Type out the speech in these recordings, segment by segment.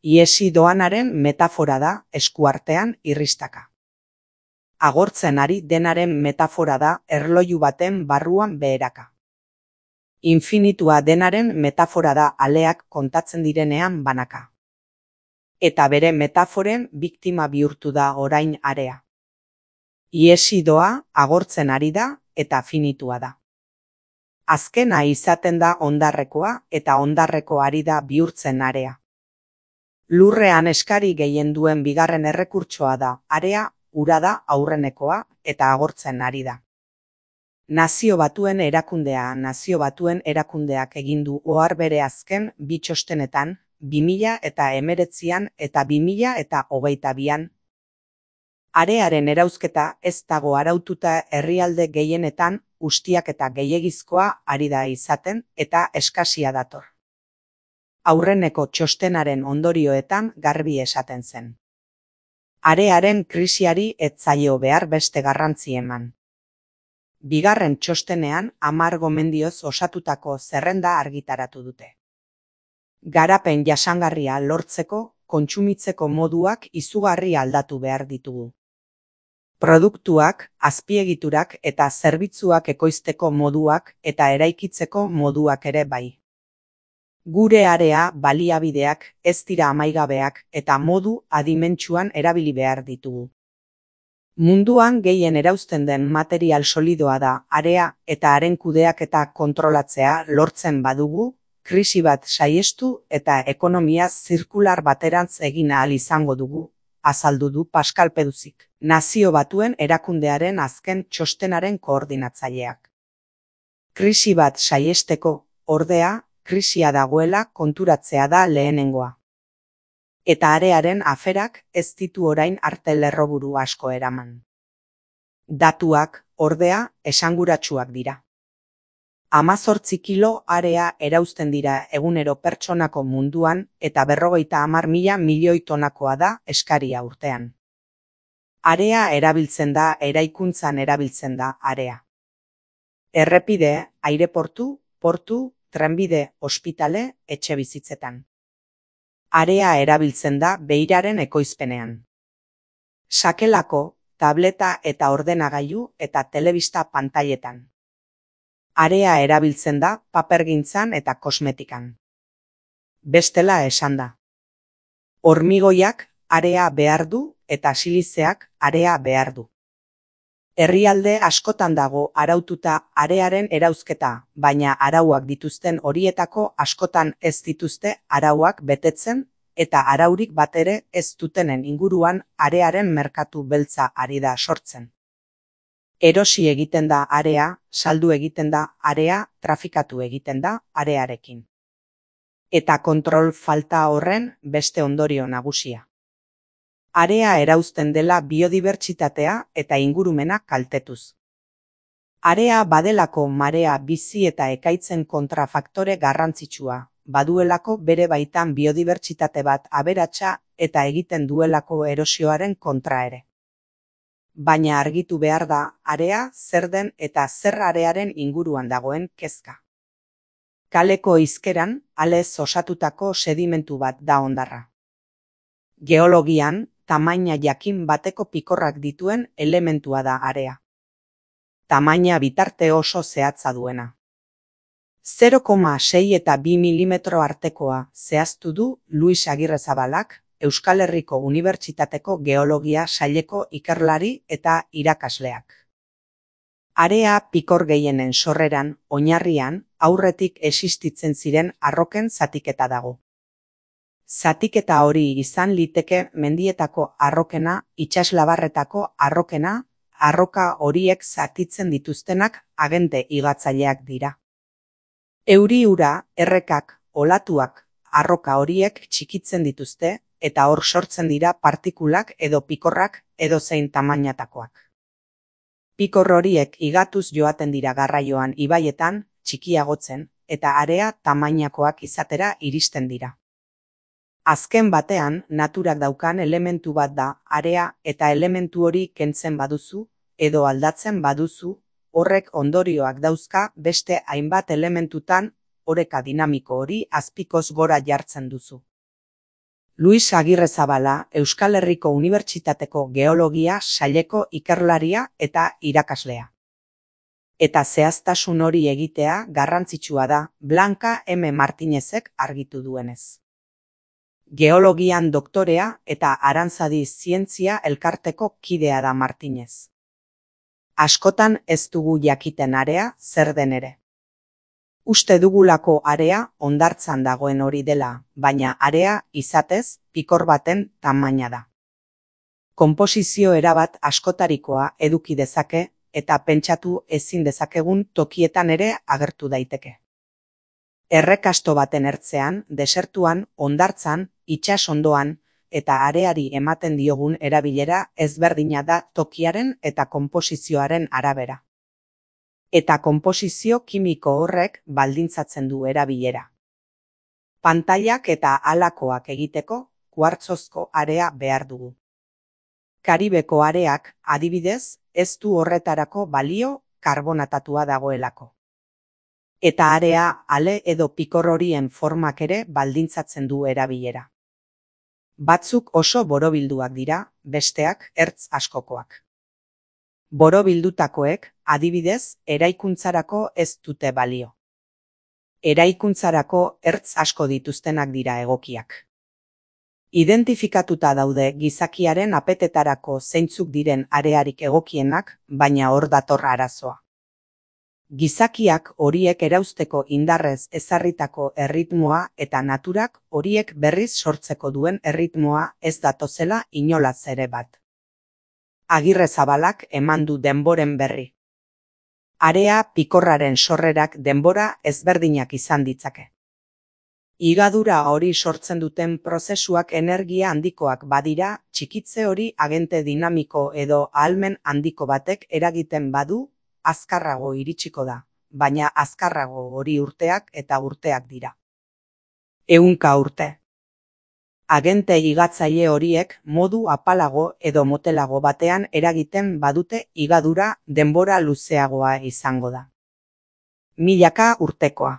Ihesi doanaren metafora da eskuartean irristaka. Agortzen ari denaren metafora da erloju baten barruan beheraka. Infinitua denaren metafora da aleak kontatzen direnean banaka. Eta bere metaforen biktima bihurtu da orain area. Ihesi doa agortzen ari da eta finitua da. Azkena izaten da hondarrekoa eta hondarreko ari da bihurtzen area. Lurrean eskari gehien duen bigarren errekurtsoa da area, ura da aurrenekoa eta agortzen ari da. Nazio Batuen erakundeak egin du ohar bere azken bi txostenetan, 2019an eta 2022an. Arearen erauzketa ez dago araututa herrialde gehienetan ustiaketa gehiegizkoa ari da izaten eta eskasia dator. Aurreneko txostenaren ondorioetan garbi esaten zen. Arearen krisiari ez zaio behar beste garrantzi eman. Bigarren txostenean 10 gomendioz osatutako zerrenda argitaratu dute. Garapen jasangarria lortzeko, kontsumitzeko moduak izugarri aldatu behar ditugu. Produktuak, azpiegiturak eta zerbitzuak ekoizteko moduak eta eraikitzeko moduak ere bai. Gure area baliabideak ez dira amaigabeak eta modu adimentsuan erabili behar ditugu. Munduan gehien erauzten den material solidoa da area eta haren kudeaketa kontrolatzea lortzen badugu, krisi bat saihestu eta ekonomia zirkular baterantz egin ahal izango dugu, azaldu du Pascal Peduzik, Nazio Batuen erakundearen azken txostenaren koordinatzaileak. Krisi bat saihesteko, ordea, krisia dagoela konturatzea da lehenengoa. Eta arearen aferak ez ditu orain arte lerroburu asko eraman. Datuak, ordea, esanguratsuak dira. 18 kilo area erauzten dira egunero pertsonako munduan eta 50.000 milioi tonakoa da eskaria urtean. Area erabiltzen da, eraikuntzan erabiltzen da area. Errepide, aireportu, portu, trenbide, ospitale, etxebizitzetan. Area erabiltzen da beiraren ekoizpenean. Sakelako, tableta eta ordenagailu eta telebista pantailetan. Area erabiltzen da papergintzan eta kosmetikan. Bestela esan da. Hormigoiak area behar du eta silizeak area behar du. Herrialde askotan dago araututa arearen erauzketa, baina arauak dituzten horietako askotan ez dituzte arauak betetzen eta araurik batere ez dutenen inguruan arearen merkatu beltza ari da sortzen. Erosi egiten da area, saldu egiten da area, trafikatu egiten da arearekin. Eta kontrol falta horren beste ondorio nagusia. Area erauzten dela biodibertsitatea eta ingurumena kaltetuz. Area badelako marea bizi eta ekaitzen kontrafaktore garrantzitsua, baduelako bere baitan biodibertsitate bat aberatsa eta egiten duelako erosioaren kontra ere. Baina argitu behar da area zer den eta zer arearen inguruan dagoen kezka. Kaleko hizkeran, alez osatutako sedimentu bat da hondarra. Geologian, tamaina jakin bateko pikorrak dituen elementua da area. Tamaina bitarte oso zehatza duena. 0,6 eta 2 milimetro artekoa zehaztu du Luis Agirrezabalak, Euskal Herriko Unibertsitateko Geologia saileko ikerlari eta irakasleak. Area pikor gehienen sorreran, oinarrian, aurretik existitzen ziren arroken zatiketa dago. Zatiketa hori izan liteke mendietako arrokena, itsaslabarretako arrokena, arroka horiek zatitzen dituztenak agente higatzaileak dira. Euri-ura, errekak, olatuak, arroka horiek txikitzen dituzte eta hor sortzen dira partikulak edo pikorrak edozein tamainatakoak. Pikor horiek higatuz joaten dira garraioan ibaietan, txikiagotzen, eta area tamainakoak izatera iristen dira. Azken batean, naturak daukan elementu bat da area eta elementu hori kentzen baduzu edo aldatzen baduzu, horrek ondorioak dauzka beste hainbat elementutan oreka dinamiko hori azpikoz gora jartzen duzu. Luis Agirrezabala Euskal Herriko Unibertsitateko Geologia saileko ikerlaria eta irakaslea. Eta zehaztasun hori egitea garrantzitsua da, Blanca M. Martinezek argitu duenez. Geologian doktorea eta Aranzadi Zientzia Elkarteko kidea da Martinez. Askotan ez dugu jakiten area zer den ere. Uste dugulako area hondartzan dagoen hori dela, baina area izatez pikor baten tamaina da. Konposizio erabat askotarikoa eduki dezake eta pentsatu ezin dezakegun tokietan ere agertu daiteke. Errekasto baten ertzean, desertuan, hondartzan, itsas ondoan eta areari ematen diogun erabilera ezberdina da tokiaren eta konposizioaren arabera. Eta konposizio kimiko horrek baldintzatzen du erabilera. Pantailak eta halakoak egiteko kuartzozko area behar dugu. Karibeko areak, adibidez, ez du horretarako balio karbonatatua dagoelako. Eta area ale edo pikor horien formak ere baldintzatzen du erabilera. Batzuk oso borobilduak dira, besteak ertz askokoak. Borobildutakoek, adibidez, eraikuntzarako ez dute balio. Eraikuntzarako ertz asko dituztenak dira egokiak. Identifikatuta daude gizakiaren apetetarako zeintzuk diren arearik egokienak, baina hor dator arazoa. Gizakiak horiek erauzteko indarrez ezarritako erritmoa eta naturak horiek berriz sortzeko duen erritmoa ez datozela inolaz ere bat. Agirrezabalak eman du denboren berri. Area pikorraren sorrerak denbora ezberdinak izan ditzake. Higadura hori sortzen duten prozesuak energia handikoak badira, txikitze hori agente dinamiko edo ahalmen handiko batek eragiten badu, azkarrago iritsiko da, baina azkarrago hori urteak eta urteak dira. 100 urte. Agente higatzaile horiek modu apalago edo motelago batean eragiten badute higadura denbora luzeagoa izango da. Milaka urtekoa.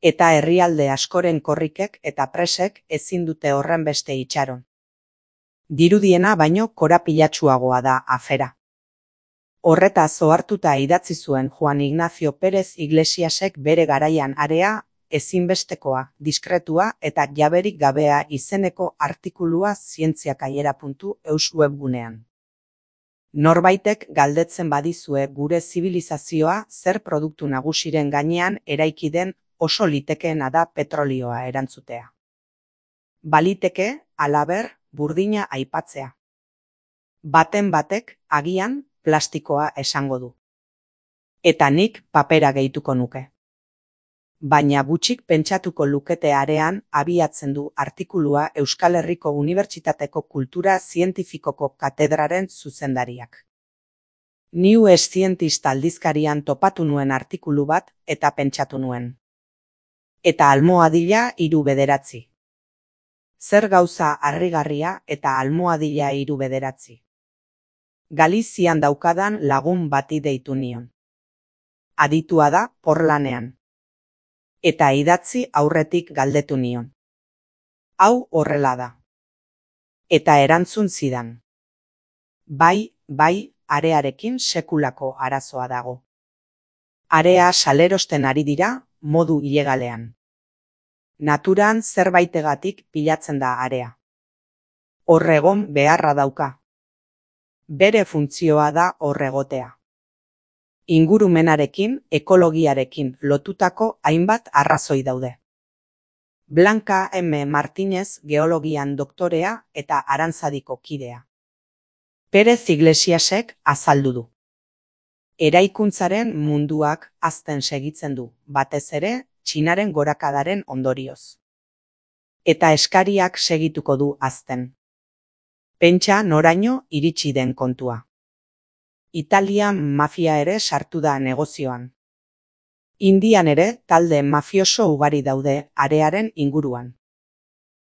Eta herrialde askoren korrikek eta presek ezin dute horren beste itxaron. Dirudiena baino korapilatsuagoa da afera. Horretaz ohartuta idatzi zuen Juan Ignacio Pérez Iglesiasek bere garaian area, ezinbestekoa, diskretua eta jaberik gabea izeneko artikulua zientziakaiera.eus webgunean. Norbaitek galdetzen badizue gure zibilizazioa zer produktu nagusiren gainean eraiki den oso litekeena da petrolioa erantzutea. Baliteke, halaber, burdina aipatzea. Baten batek, agian, plastikoa esango du. Eta nik papera gehituko nuke. Baina gutxik pentsatuko lukete arean abiatzen du artikulua Euskal Herriko Unibertsitateko Kultura Zientifikoko katedraren zuzendariak. New Scientist aldizkarian topatu nuen artikulu bat eta pentsatu nuen. Eta almohadila 3/9. Zer gauza harrigarria eta almohadila 3/9. Galizian daukadan lagun bati deitu nion. Aditua da porlanean. Eta idatzi aurretik galdetu nion. Hau horrela da. Eta erantzun zidan. Bai, arearekin sekulako arazoa dago. Area salerosten ari dira, modu ilegalean. Naturan zerbaitegatik pilatzen da area. Horregon beharra dauka. Bere funtzioa da horregotea. Ingurumenarekin, ekologiarekin lotutako hainbat arrazoi daude. Blanca M. Martinez geologian doktorea eta Aranzadiko kidea. Pérez Iglesiasek azaldu du. Eraikuntzaren munduak hazten segitzen du, batez ere, Txinaren gorakadaren ondorioz. Eta eskariak segituko du hazten. Pentsa noraino iritsi den kontua. Italian mafia ere sartu da negozioan. Indian ere talde mafioso ugari daude arearen inguruan.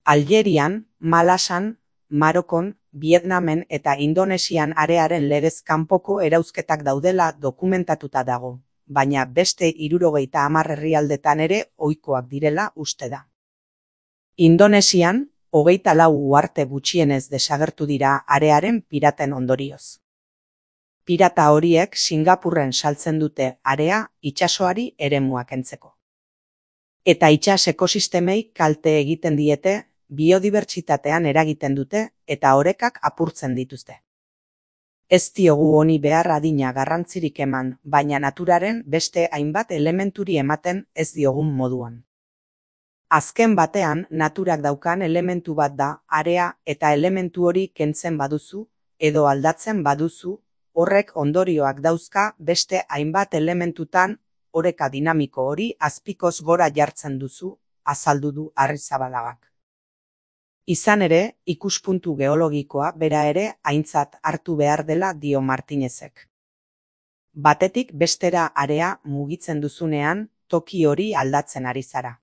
Algerian, Malasan, Marokon, Vietnamen eta Indonesian arearen legez kanpoko erauzketak daudela dokumentatuta dago, baina beste 70 herrialdetan ere ohikoak direla uste da. Indonesian, 24 uharte gutxienez desagertu dira arearen piraten ondorioz. Pirata horiek Singapurren saltzen dute area itsasoari eremua kentzeko. Eta itsas ekosistemei kalte egiten diete, biodibertsitatean eragiten dute eta orekak apurtzen dituzte. Ez diogu honi behar adina garrantzirik eman, baina naturaren beste hainbat elementuri ematen ez diogun moduan. Azken batean, naturak daukan elementu bat da area eta elementu hori kentzen baduzu edo aldatzen baduzu, horrek ondorioak dauzka beste hainbat elementutan, oreka dinamiko hori azpikoz gora jartzen duzu, azaldu du Arrizabalagak. Izan ere, ikuspuntu geologikoa bera ere aintzat hartu behar dela dio Martinezek. Batetik bestera area mugitzen duzunean, toki hori aldatzen ari zara.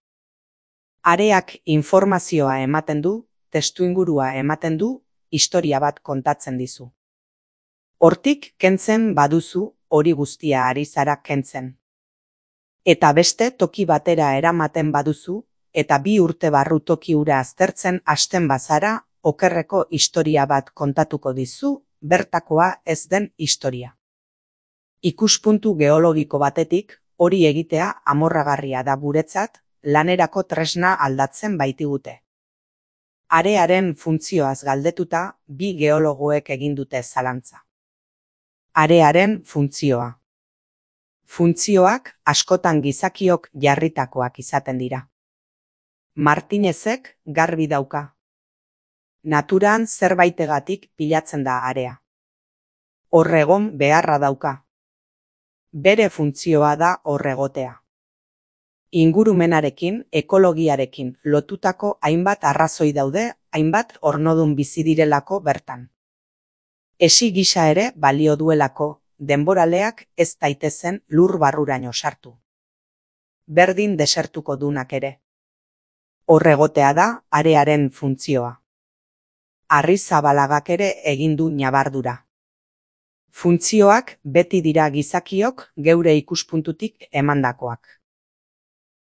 Areak informazioa ematen du, testuingurua ematen du, historia bat kontatzen dizu. Hortik kentzen baduzu, hori guztia ari zara kentzen. Eta beste toki batera eramaten baduzu, eta 2 urte barru toki hura aztertzen hasten bazara, okerreko historia bat kontatuko dizu, bertakoa ez den historia. Ikuspuntu geologiko batetik, hori egitea amorragarria da guretzat, lanerako tresna aldatzen baitigute. Arearen funtzioaz galdetuta, 2 geologoek egin dute zalantza. Arearen funtzioa. Funtzioak askotan gizakiok jarritakoak izaten dira. Martinezek garbi dauka. Naturan zerbaitegatik pilatzen da area. Horregon beharra dauka. Bere funtzioa da horregotea. Ingurumenarekin, ekologiarekin lotutako hainbat arrazoi daude, hainbat ornodun bizi direlako bertan. Esi gisa ere balio duelako, denboraleak ez daitezen lur barruraino sartu. Berdin desertuko dunak ere. Horregotea da arearen funtzioa. Arrizabalagak ere egin du ñabardura. Funtzioak beti dira gizakiok geure ikuspuntutik emandakoak.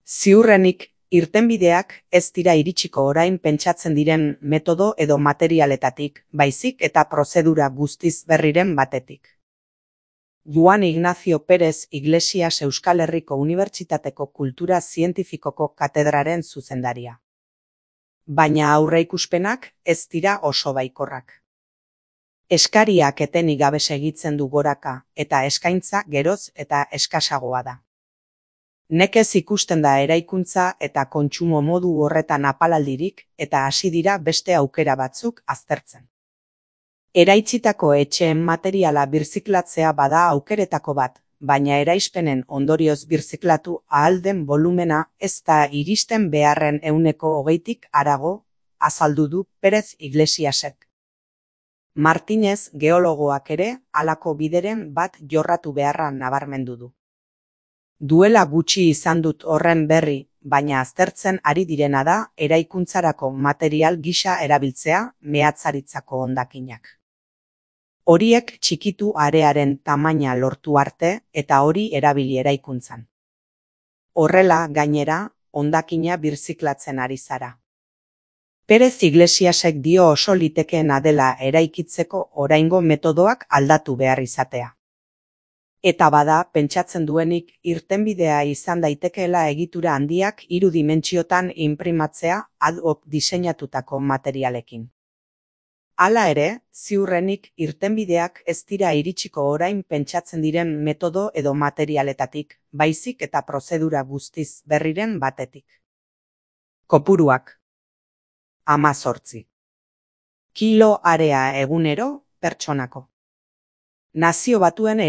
Ziurrenik, irtenbideak ez dira iritsiko orain pentsatzen diren metodo edo materialetatik, baizik eta prozedura guztiz berriren batetik. Juan Ignacio Pérez Iglesias Euskal Herriko Unibertsitateko Kultura Zientifikoko katedraren zuzendaria. Baina aurreikuspenak ez dira oso baikorrak. Eskariak etenik gabe segitzen du goraka eta eskaintza geroz eta eskasagoa da. Nekez ikusten da eraikuntza eta kontsumo modu horretan apalaldirik eta hasi dira beste aukera batzuk aztertzen. Eraitzitako etxeen materiala birziklatzea bada aukeretako bat, baina eraispenen ondorioz birziklatu ahal den volumena ez da iristen beharren 20%tik harago, azaldu du Pérez Iglesiasek. Martinez geologoak ere halako bideren bat jorratu beharra nabarmendu du. Duela gutxi izan dut horren berri, baina aztertzen ari direna da eraikuntzarako material gisa erabiltzea mehatzaritzako hondakinak. Horiek txikitu arearen tamaina lortu arte eta hori erabili eraikuntzan. Horrela, gainera, hondakina birziklatzen ari zara. Pérez Iglesiasek dio oso litekeena dela eraikitzeko oraingo metodoak aldatu behar izatea. Eta bada, pentsatzen duenik irtenbidea izan daitekeela egitura handiak 3 dimentsiotan inprimatzea ad hoc diseinatutako materialekin. Hala ere, ziurrenik irtenbideak ez dira iritsiko orain pentsatzen diren metodo edo materialetatik, baizik eta prozedura guztiz berriren batetik. Kopuruak. 18. Kilo area egunero, pertsonako. Nazio Batuen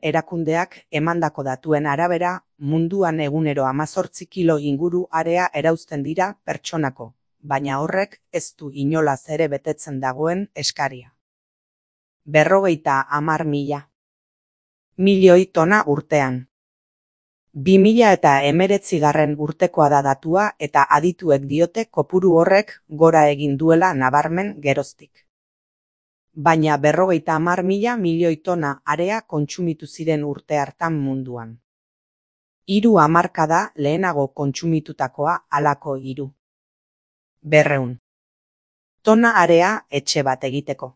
erakundeak emandako datuen arabera, munduan egunero 18 kilo inguru area erauzten dira pertsonako, baina horrek ez du inolaz ere betetzen dagoen eskaria. 50.000 milioi tona urtean. 2019 urtekoa da datua eta adituek diote kopuru horrek gora egin duela nabarmen geroztik. Baina 50.000 milioi tona area kontsumitu ziren urte hartan munduan. 3 hamarkada lehenago kontsumitutakoa halako 3. 200 tona area etxe bat egiteko.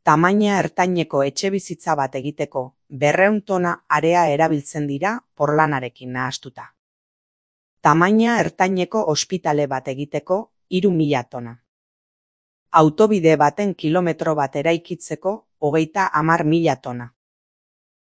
Tamaina ertaineko etxebizitza bat egiteko 200 tona area erabiltzen dira porlanarekin nahastuta. Tamaina ertaineko ospitale bat egiteko 3000 tona. Autobide baten kilometro bat eraikitzeko 30.000 tona.